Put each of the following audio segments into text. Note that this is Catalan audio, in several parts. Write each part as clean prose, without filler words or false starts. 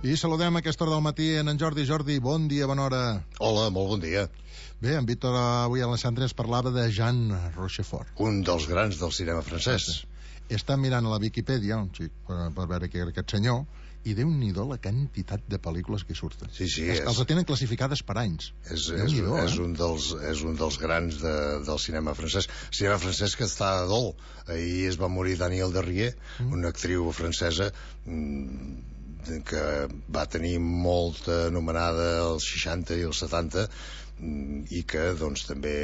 I saludem a aquesta hora del matí en Jordi. Jordi, bon dia, bona hora. Hola, molt bon dia. Bé, en Víctor avui a l'Alessandre ens parlava de Jean Rochefort. Un dels grans del cinema francès. Està mirant a la Viquipèdia, un xic, per veure qui era aquest senyor, i Déu-n'hi-do la quantitat de pel·lícules que hi surten. Sí, Els tenen classificades per anys. És un dels grans del cinema francès. Cinema francès que està a dol. Ahir es va morir Danielle Darrieux, una actriu francesa que va tenir molta anomenada als 60 i als 70 i que doncs també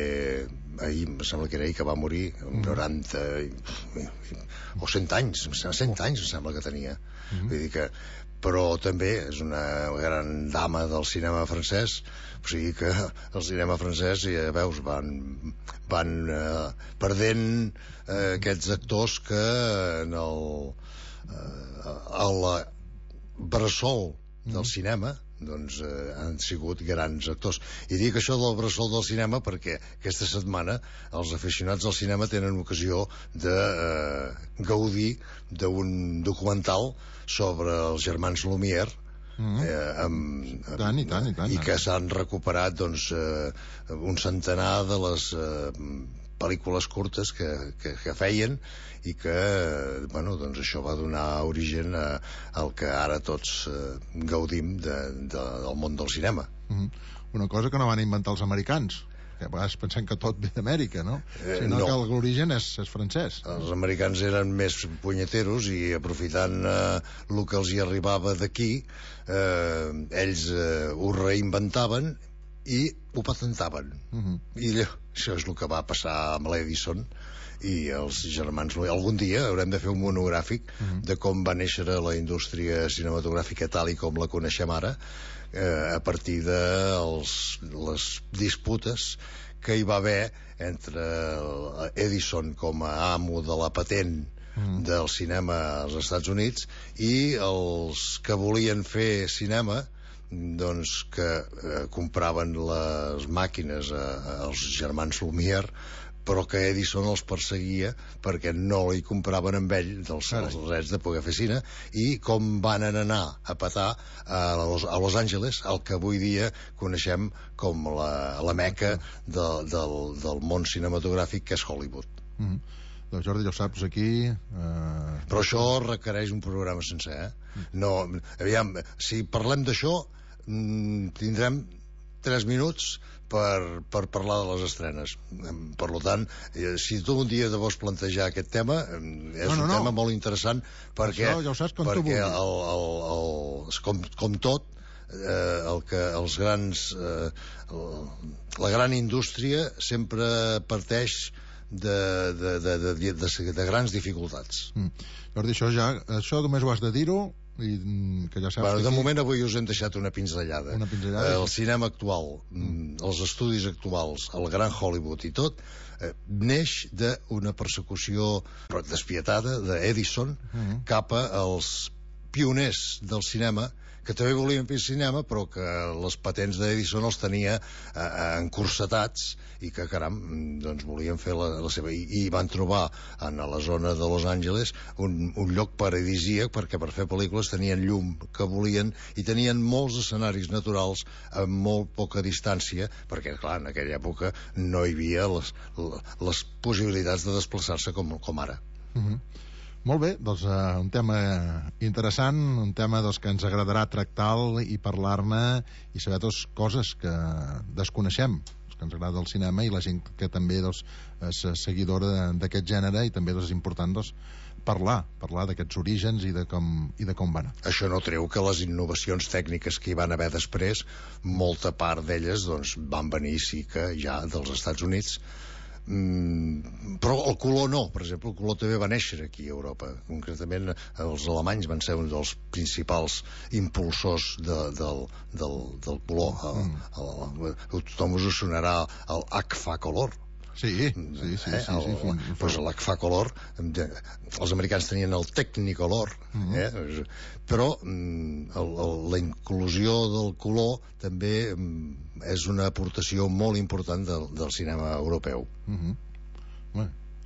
ahir, em sembla que era ahir que va morir, 90 o 100 anys, 100 anys em sembla que tenia. Vull dir que, però també és una gran dama del cinema francès, o sigui que el cinema francès, ja veus, van perdent aquests actors que en la bressol del cinema doncs han sigut grans actors. I dic això del bressol del cinema perquè aquesta setmana els aficionats al cinema tenen ocasió de gaudir d'un documental sobre els germans Lumière, i que s'han recuperat doncs un centenar de les pel·lícules curtes que feien i que, bueno, doncs això va donar origen al que ara tots gaudim del món del cinema. Una cosa que no van inventar els americans, que a vegades pensem que tot ve d'Amèrica, no? Sinó que l'origen és francès. Els americans eren més punyeteros i aprofitant el que els hi arribava d'aquí, ells ho reinventaven i ho patentaven. I això és el que va passar amb l'Edison i els germans Lumière. Algun dia haurem de fer un monogràfic de com va néixer la indústria cinematogràfica tal i com la coneixem ara, a partir de les disputes que hi va haver entre Edison com a amo de la patent del cinema als Estats Units i els que volien fer cinema, doncs que compraven les màquines als germans Lumière, però que Edison els perseguia perquè no li compraven amb ell els drets de poder fer cine, i com van anar a petar a Los Angeles, el que avui dia coneixem com la meca del món cinematogràfic, que és Hollywood. Doncs Jordi, ja ho saps, aquí... Però això requereix un programa sencer, No, aviam, si parlem d'això tindrem 3 minuts per parlar de les estrenes. Per tant, si tu un dia te vols plantejar aquest tema, és un tema molt interessant perquè, això ja ho saps, perquè com tot, els grans la gran indústria sempre parteix de grans dificultats. Jordi, això només ho has de dir-ho, i que ja saps, de moment avui us hem deixat una pinzellada. El cinema actual, els estudis actuals, el gran Hollywood i tot, neix d'una persecució despietada d'Edison cap als pioners del cinema, que també volien fer cinema, però que les patents d'Edison els tenia encursetats i que, caram, doncs volien fer la seva. I van trobar en la zona de Los Angeles un lloc paradisíac, perquè per fer pel·lícules tenien llum que volien i tenien molts escenaris naturals a molt poca distància, perquè, clar, en aquella època no hi havia les possibilitats de desplaçar-se com ara. Molt bé, doncs un tema interessant, un tema que ens agradarà tractar i parlar-ne i saber coses que desconeixem, que ens agrada el cinema, i la gent que també és seguidora d'aquest gènere, i també és important parlar d'aquests orígens i de com van. Això no treu que les innovacions tècniques que hi van haver després, molta part d'elles van venir sí que ja dels Estats Units, però el color no. Per exemple, el color també va néixer aquí a Europa. Concretament els alemanys van ser un dels principals impulsors del color. Tothom us sonarà el Agfacolor. Sí. Pues l'Agfacolor, els americans tenien el Technicolor, però la inclusió del color també és una aportació molt important del cinema europeu.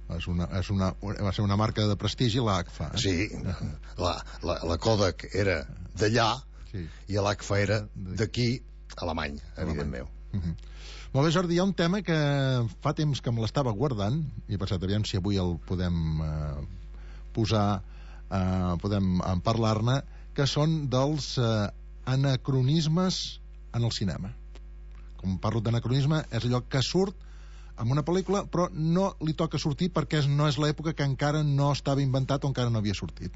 Va ser una marca de prestigi, l'AGFA. Sí, la Kodak era d'allà, i l'ACFA era d'aquí, alemany, evidentment. Molt bé, Jordi, hi ha un tema que fa temps que me l'estava guardant i he pensat, aviam si avui el podem posar, podem parlar-ne, que són dels anacronismes en el cinema. Com parlo d'anacronisme, és allò que surt en una pel·lícula però no li toca sortir perquè no és l'època que encara no estava inventat o encara no havia sortit.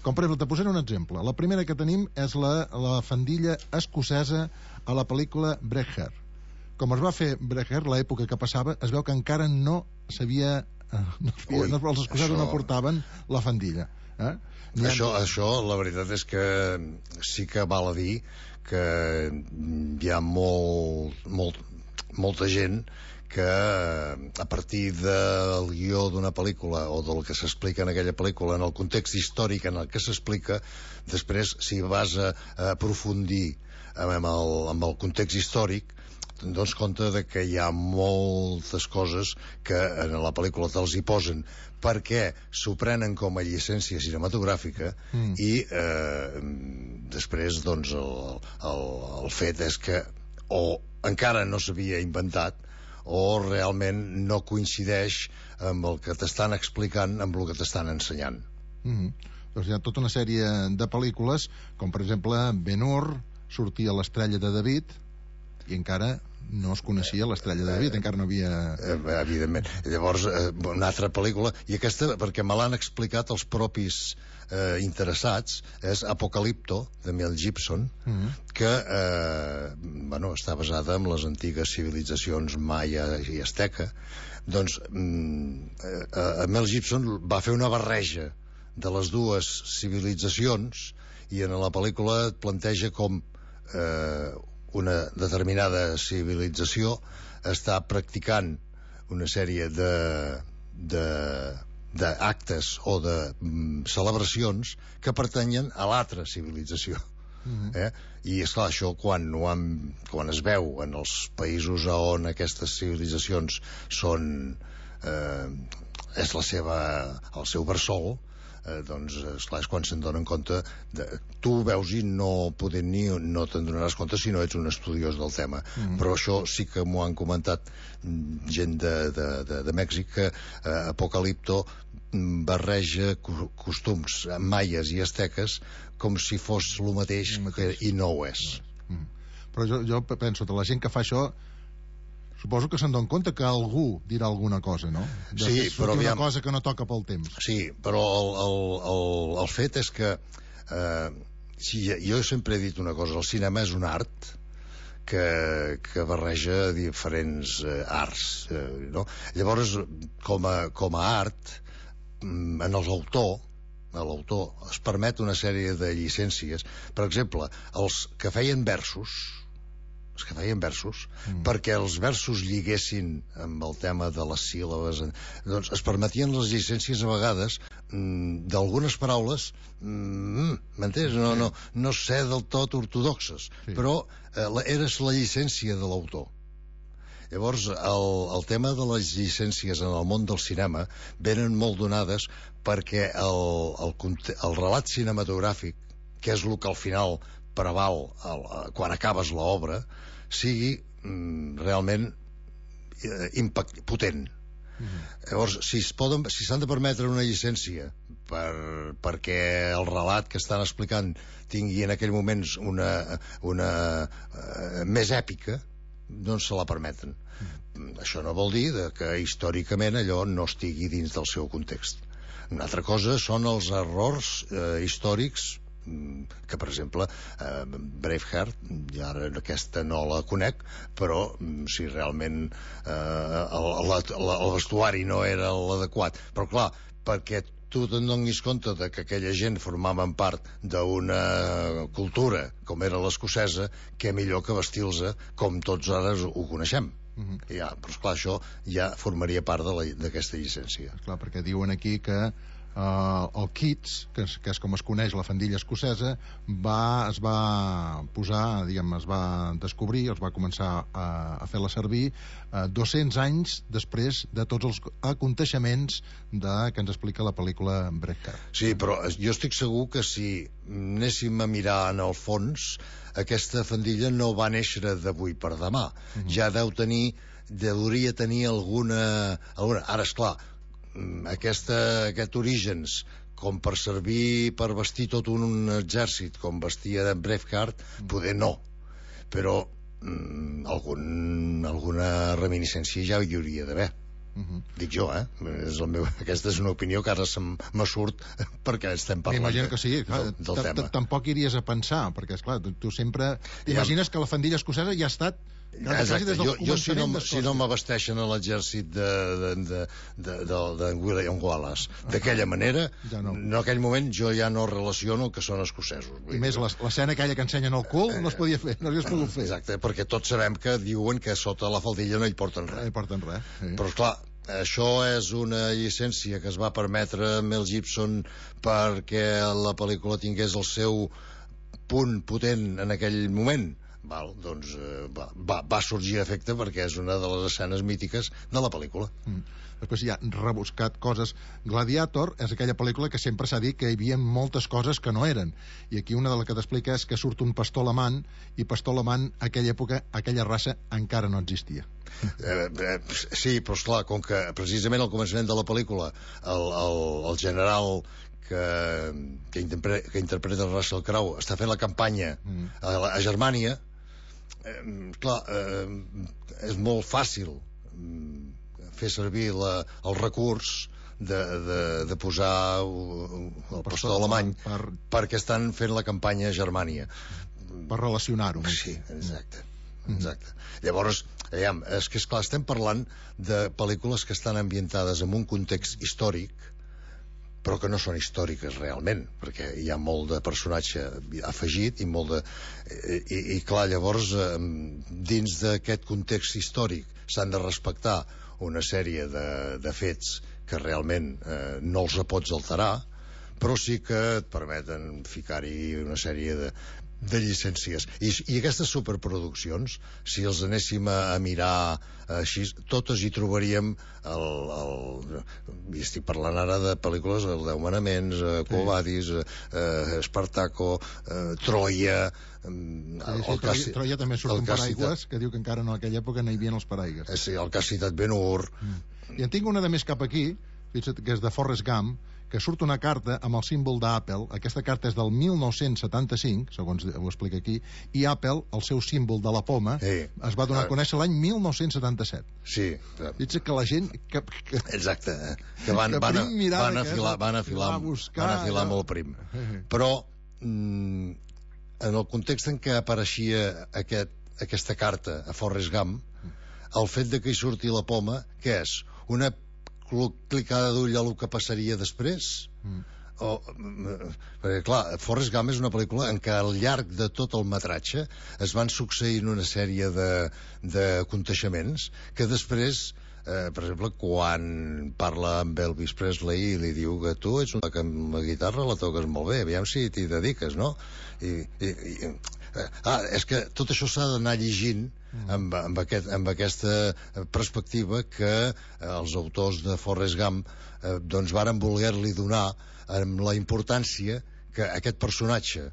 Com per exemple, te posaré un exemple. La primera que tenim és la fandilla escocesa a la pel·lícula Braveheart. Com es va fer Braveheart, l'època que passava, es veu que encara no s'havia... els escocesos no portaven la fandilla. Això, la veritat és que sí que val a dir que hi ha molta gent que a partir del guió d'una pel·lícula o del que s'explica en aquella pel·lícula, en el context històric en el que s'explica, després si vas a aprofundir amb el context històric, te'n dones compte de que hi ha moltes coses que en la pel·lícula te'ls hi posen perquè s'ho prenen com a llicència cinematogràfica i després doncs el fet és que o encara no s'havia inventat o realment no coincideix amb el que t'estan explicant amb el que t'estan ensenyant. Doncs hi ha tota una sèrie de pel·lícules com per exemple Ben-Hur, sortia l'Estrella de David i encara no es coneixia l'Estrella de David, encara no havia... Evidentment. Llavors, una altra pel·lícula, i aquesta, perquè me l'han explicat els propis interessats, és Apocalipto, de Mel Gibson, que està basada en les antigues civilitzacions maia i asteca. Doncs Mel Gibson va fer una barreja de les dues civilitzacions i en la pel·lícula et planteja com una determinada civilització està practicant una sèrie d'actes o de celebracions que pertanyen a l'altra civilització. I esclar, això quan es veu en els països on aquestes civilitzacions són és el seu bressol, doncs esclar, és quan se'n donen compte tu ho veus i no te'n donaràs compte si no ets un estudiós del tema, però això sí que m'ho han comentat gent de Mèxic, que Apocalipto barreja costums maies i asteques com si fos el mateix i no ho és. Però jo penso que la gent que fa això suposo que se'n dona compte que algú dirà alguna cosa, no? Sí, però una cosa que no toca pel temps. Sí, però el fet és que jo sempre he dit una cosa, el cinema és un art que barreja diferents arts, no? Llavors, com a art, en l'autor es permet una sèrie de llicències. Per exemple, els que feien versos, perquè els versos lliguessin amb el tema de les síl·labes, doncs es permetien les llicències a vegades d'algunes paraules, m'entens? No sé del tot ortodoxes, però eres la llicència de l'autor. Llavors, el tema de les llicències en el món del cinema venen molt donades perquè el relat cinematogràfic, que és el que al final preval quan acabes l'obra, sigui realment potent. Llavors, si s'han de permetre una llicència perquè el relat que estan explicant tingui en aquell moment una més èpica, doncs se la permeten. Això no vol dir que històricament allò no estigui dins del seu context. Una altra cosa són els errors històrics que, per exemple, Braveheart, i ara aquesta no la conec, però si realment el vestuari no era l'adequat, però clar, perquè tu te'n donis compte de que aquella gent formaven part d'una cultura com era l'escocesa, que millor que vestir-los com tots ara ho coneixem. Però esclar, això ja formaria part d'aquesta llicència. Clar, perquè diuen aquí que el Keats, que és com es coneix la fandilla escocesa, es va posar, diguem, es va descobrir, es va començar a fer-la servir 200 anys després de tots els aconteixements que ens explica la pel·lícula Braveheart. Sí, però jo estic segur que si anéssim a mirar en el fons, aquesta fandilla no va néixer d'avui per demà. Ja hauria tenir alguna... Ara, esclar, aquest orígens com per servir per vestir tot un exèrcit com vestia de Braveheart, poder no, però alguna reminiscència ja hi hauria d'haver. Dic jo, aquesta és una opinió que ara me surt perquè estem parlant m'imagino que sí, del tema. Tampoc iries a pensar, perquè esclar, tu sempre t'imagines que la fandilla escocesa ja ha estat exacte. Jo si no m'abasteixen a l'exèrcit de William Wallace d'aquella manera, en aquell moment jo ja no relaciono que són escocesos. I més l'escena aquella que ensenyen el cul no es podia fer, no s'hagués pogut fer. Exacte, perquè tots sabem que diuen que sota la faldilla no hi porten res. No hi porten res, sí. Però esclar, això és una llicència que es va permetre Mel Gibson perquè la pel·lícula tingués el seu punt potent en aquell moment. Doncs va sorgir a efecte perquè és una de les escenes mítiques de la pel·lícula. Després hi ha rebuscat coses. Gladiator és aquella pel·lícula que sempre s'ha dit que hi havia moltes coses que no eren, i aquí una de les que t'explica és que surt un pastor alemany, i pastor alemany a aquella època, aquella raça encara no existia. Sí, però esclar, com que precisament al començament de la pel·lícula el general que interpreta Russell Crowe està fent la campanya a Germània, clar, és molt fàcil fer servir el recurs de posar el pastor alemany perquè estan fent la campanya a Germània per relacionar-ho. Sí, exacte. Llavors, és que esclar, estem parlant de pel·lícules que estan ambientades en un context històric però que no són històriques realment, perquè hi ha molt de personatge afegit i molt de... I clar, llavors, dins d'aquest context històric s'han de respectar una sèrie de fets que realment no els pots alterar, però sí que et permeten ficar-hi una sèrie de llicències. I aquestes superproduccions, si els anéssim a mirar així, totes hi trobaríem i estic parlant ara de pel·lícules, el 10 manaments, Quo Vadis, Espartaco, Troia... Troia també surt un paraigües, que diu que encara en aquella època no hi havia els paraigües. Sí, el que has citat Ben-Hur. I en tinc una de més cap aquí, que és de Forrest Gump, que surt una carta amb el símbol d'Apple. Aquesta carta és del 1975, segons ho explica aquí, i Apple, el seu símbol de la poma, es va donar a conèixer l'any 1977. Sí. Dic que la gent... Exacte, que van afilar molt prim. Però en el context en què apareixia aquesta carta a Forrest Gump, el fet de que hi surti la poma, què és? Una clicada d'ull a el que passaria després? Perquè clar, Forrest Gump és una pel·lícula en què al llarg de tot el metratge es van succeint una sèrie d'aconteixements que després, per exemple, quan parla amb Elvis Presley i li diu que tu ets una que amb la guitarra la toques molt bé, aviam si t'hi dediques, no? És que tot això s'ha d'anar llegint amb aquesta perspectiva que els autors de Forrest Gump doncs varen voler-li donar amb la importància que aquest personatge,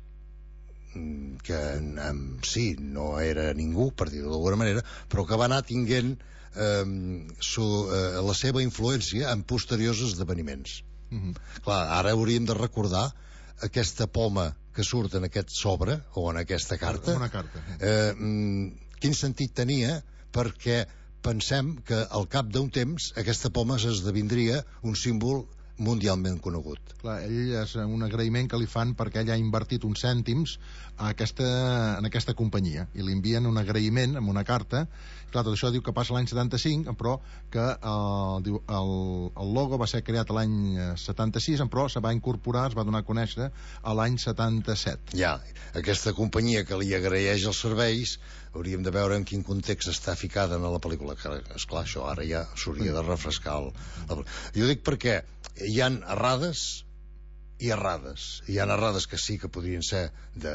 que sí, no era ningú, per dir-ho d'alguna manera, però que va anar tinguent la seva influència en posteriors esdeveniments. Clar, ara hauríem de recordar aquesta poma que surt en aquest sobre o en aquesta carta, quin sentit tenia, perquè pensem que al cap d'un temps aquesta poma s'esdevindria un símbol mundialment conegut. Clar, ell és un agraïment que li fan perquè ell ha invertit uns cèntims en aquesta companyia i li envien un agraïment amb una carta. Clar, tot això diu que passa l'any 75, però que el logo va ser creat l'any 76, però se va incorporar, es va donar a conèixer a l'any 77. Ja, aquesta companyia que li agraeix els serveis, hauríem de veure en quin context està ficada en la pel·lícula, que esclar, això ara ja s'hauria de refrescar. Jo dic perquè hi han errades i errades. Hi ha errades que sí que podrien ser de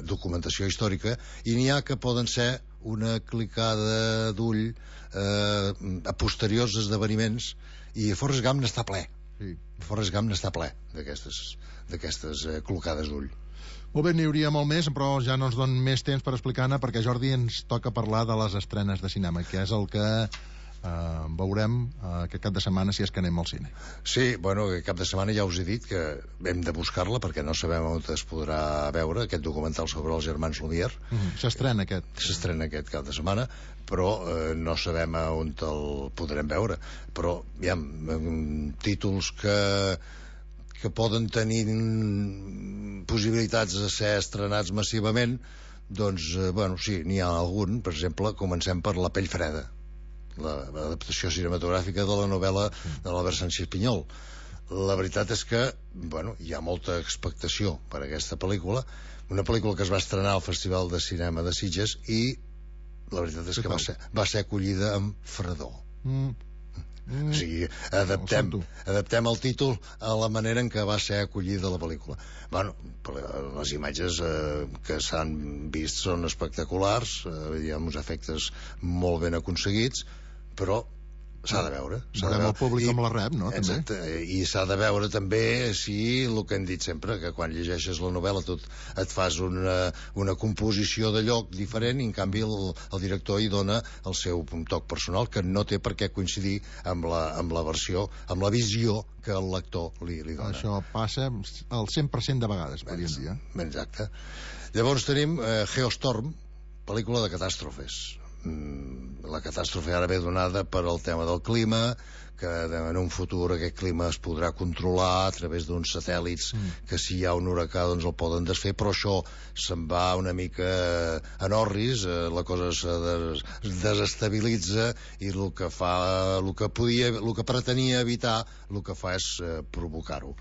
documentació històrica i n'hi ha que poden ser una clicada d'ull a posteriors esdeveniments, i Forrest Gump n'està ple. Sí. Forrest Gump n'està ple d'aquestes clocades d'ull. Molt bé, n'hi hauria molt més, però ja no ens donen més temps per explicar-ne, perquè, Jordi, ens toca parlar de les estrenes de cinema, que és el que veurem aquest cap de setmana, si és que anem al cine. Sí, bueno, aquest cap de setmana ja us he dit que hem de buscar-la perquè no sabem on es podrà veure aquest documental sobre els germans Lumière. S'estrena aquest. S'estrena aquest cap de setmana, però no sabem on el podrem veure. Però hi ha títols que poden tenir possibilitats de ser estrenats massivament. Doncs, bueno, sí, n'hi ha algun. Per exemple, comencem per La pell freda, l'adaptació cinematogràfica de la novel·la de l'Albert Sánchez Pinyol. La veritat és que, bueno, hi ha molta expectació per aquesta pel·lícula, una pel·lícula que es va estrenar al Festival de Cinema de Sitges i la veritat és que va ser acollida amb fredor. O sigui, adaptem el títol a la manera en què va ser acollida la pel·lícula. Bueno, les imatges que s'han vist són espectaculars, hi ha uns efectes molt ben aconseguits, però s'ha de veure. Veurem el públic com la rep, no? Exacte, i s'ha de veure també si el que hem dit sempre, que quan llegeixes la novel·la tu et fas una composició de lloc diferent, i en canvi el director hi dona el seu toc personal, que no té per què coincidir amb la versió, amb la visió que el lector li dona. Això passa el 100% de vegades, podríem dir. Exacte. Llavors tenim Geostorm, pel·lícula de catàstrofes. La catàstrofe ara ve donada per el tema del clima, que en un futur aquest clima es podrà controlar a través d'uns satèl·lits que si hi ha un huracà doncs el poden desfer, però això se'n va una mica en orris, la cosa es desestabilitza i el que pretenia evitar el que fa és provocar-ho.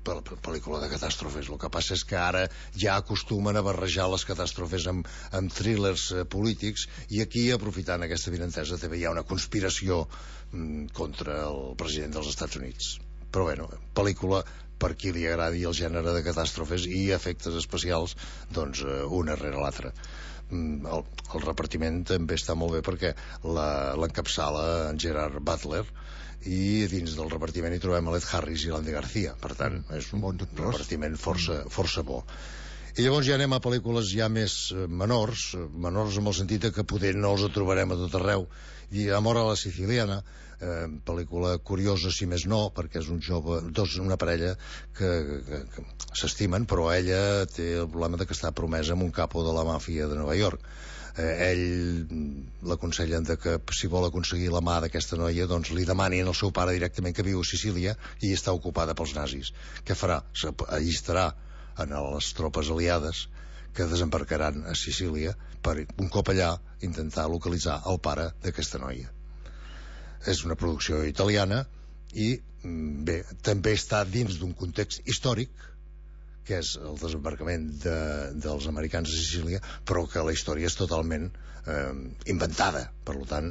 Pel·lícula de catàstrofes. El que passa és que ara ja acostumen a barrejar les catàstrofes amb thrillers polítics, i aquí, aprofitant aquesta avinentesa, també hi ha una conspiració contra el president dels Estats Units. Però bueno, pel·lícula per qui li agradi el gènere de catàstrofes i efectes especials, doncs una rere l'altra. El repartiment també està molt bé perquè l'encapçala en Gerard Butler, i dins del repartiment hi trobem Ed Harris i l'Andy García. Per tant, és un repartiment força bo. I llavors ja anem a pel·lícules ja més menors en el sentit que poder no els trobarem a tot arreu. I Amor a la Siciliana, pel·lícula curiosa si més no, perquè és una parella que s'estimen, però ella té el problema de que està promesa amb un capo de la màfia de Nova York. Ell l'aconsellen que si vol aconseguir la mà d'aquesta noia doncs li demanin al seu pare directament, que viu a Sicília i està ocupada pels nazis. Què farà? S'allistarà en les tropes aliades que desembarcaran a Sicília per, un cop allà, intentar localitzar el pare d'aquesta noia. És una producció italiana i bé, també està dins d'un context històric, que és el desembarcament dels americans a Sicília, però que la història és totalment inventada. Per tant,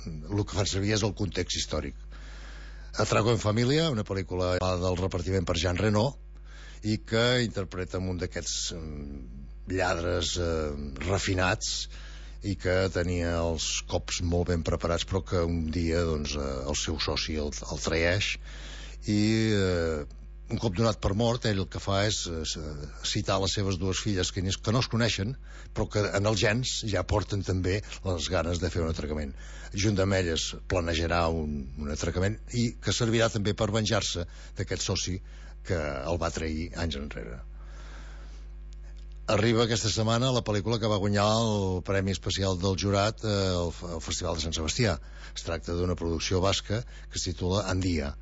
el que fan servir és el context històric. Atraco en família, una pel·lícula del repartiment per Jean Reno, i que interpreta un d'aquests lladres refinats i que tenia els cops molt ben preparats, però que un dia doncs, el seu soci el traeix, i un cop donat per mort, ell el que fa és citar les seves dues filles que no es coneixen, però que en els gens ja porten també les ganes de fer un atracament. Junt amb elles planejarà un atracament i que servirà també per venjar-se d'aquest soci que el va trair anys enrere. Arriba aquesta setmana la pel·lícula que va guanyar el Premi Especial del Jurat al Festival de Sant Sebastià. Es tracta d'una producció basca que es titula Andia.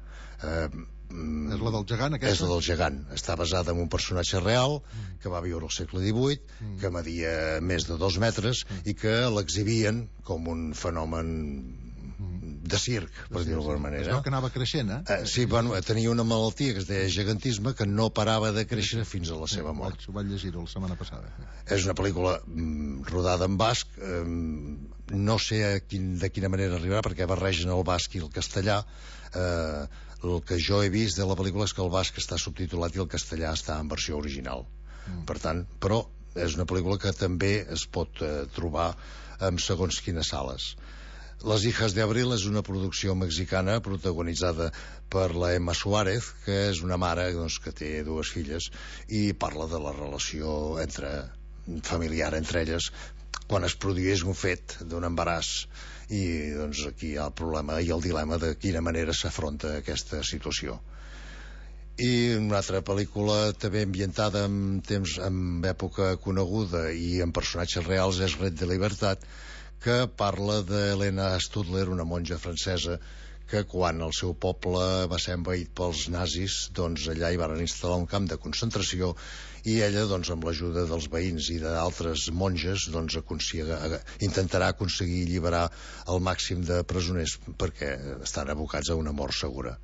És la del gegant, aquesta? És la del gegant. Està basada en un personatge real que va viure al segle XVIII, que media més de 2 metres i que l'exhibien com un fenomen de circ, per dir-ho d'alguna manera. Es veu que anava creixent, Sí, bueno, tenia una malaltia que es deia gegantisme, que no parava de créixer fins a la seva mort. Vaig llegir-ho la setmana passada. És una pel·lícula rodada en basc, no sé de quina manera arribarà, perquè barregen el basc i el castellà. El que jo he vist de la pel·lícula és que el basc està subtitulat i el castellà està en versió original. Per tant, però és una pel·lícula que també es pot trobar en segons quines sales. Las hijas de Abril és una producció mexicana protagonitzada per la Emma Suárez, que és una mare que té 2 filles i parla de la relació familiar entre elles quan es produeix un fet d'un embaràs, i aquí hi ha el problema i el dilema de quina manera s'afronta aquesta situació. I una altra pel·lícula també ambientada en època coneguda i en personatges reals és Red de Libertat, que parla d'Helena Studler, una monja francesa que quan el seu poble va ser envaït pels nazis, allà hi van instal·lar un camp de concentració, i ella, amb l'ajuda dels veïns i d'altres monges, intentarà aconseguir alliberar el màxim de presoners perquè estan abocats a una mort segura.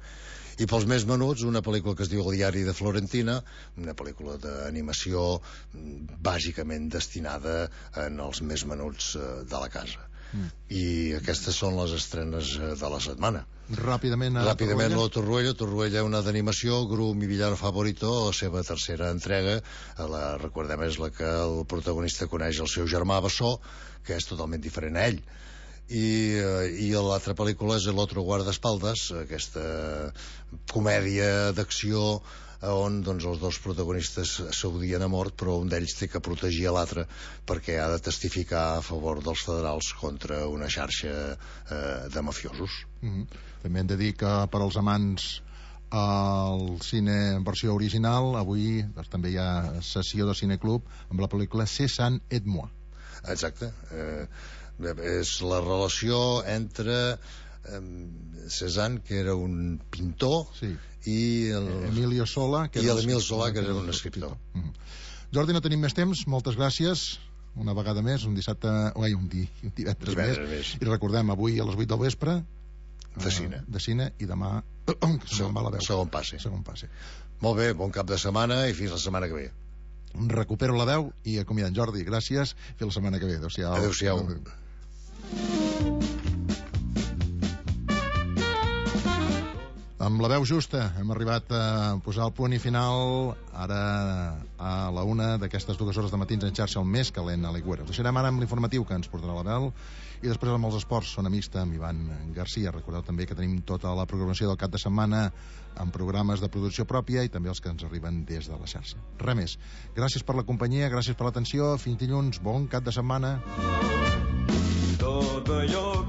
I pels més menuts, una pel·lícula que es diu El diari de Florentina, una pel·lícula d'animació bàsicament destinada als més menuts de la casa. I aquestes són les estrenes de la setmana. Ràpidament, lo Torruella, una d'animació, Gru, mi villano favorito, la seva tercera entrega. Recordem, és la que el protagonista coneix el seu germà Bessó, que és totalment diferent a ell. I l'altra pel·lícula és El otro guardaespaldas, aquesta comèdia d'acció on els 2 protagonistes s'odien a mort, però un d'ells té que protegir l'altre perquè ha de testificar a favor dels federals contra una xarxa de mafiosos. També hem de dir que per als amants al cine en versió original, avui també hi ha sessió de cineclub amb la pel·lícula Cézanne et moi. Exacte. És la relació entre Cézanne, que era un pintor, i Emilio Sola, que era un escriptor. Jordi, no tenim més temps, moltes gràcies una vegada més, un divendres més. I recordem, avui a les 8 del vespre de cine, i demà segon passe. Molt bé, bon cap de setmana i fins la setmana que ve. Recupero la veu i acomiadant. Jordi, gràcies, fins la setmana que ve. Adéu-siau. Amb la veu justa hem arribat a posar el punt i final ara a la 1 d'aquestes 2 hores de matins en xarxa, el més calent a l'Aigüera. Us deixarem ara amb l'informatiu que ens portarà la Bel, i després amb els esports Zona Mixta amb Ivan Garcia. Recordeu també que tenim tota la programació del cap de setmana amb programes de producció pròpia i també els que ens arriben des de la xarxa. Res més. Gràcies per la companyia, gràcies per l'atenció. Fins dilluns, bon cap de setmana. Tot allò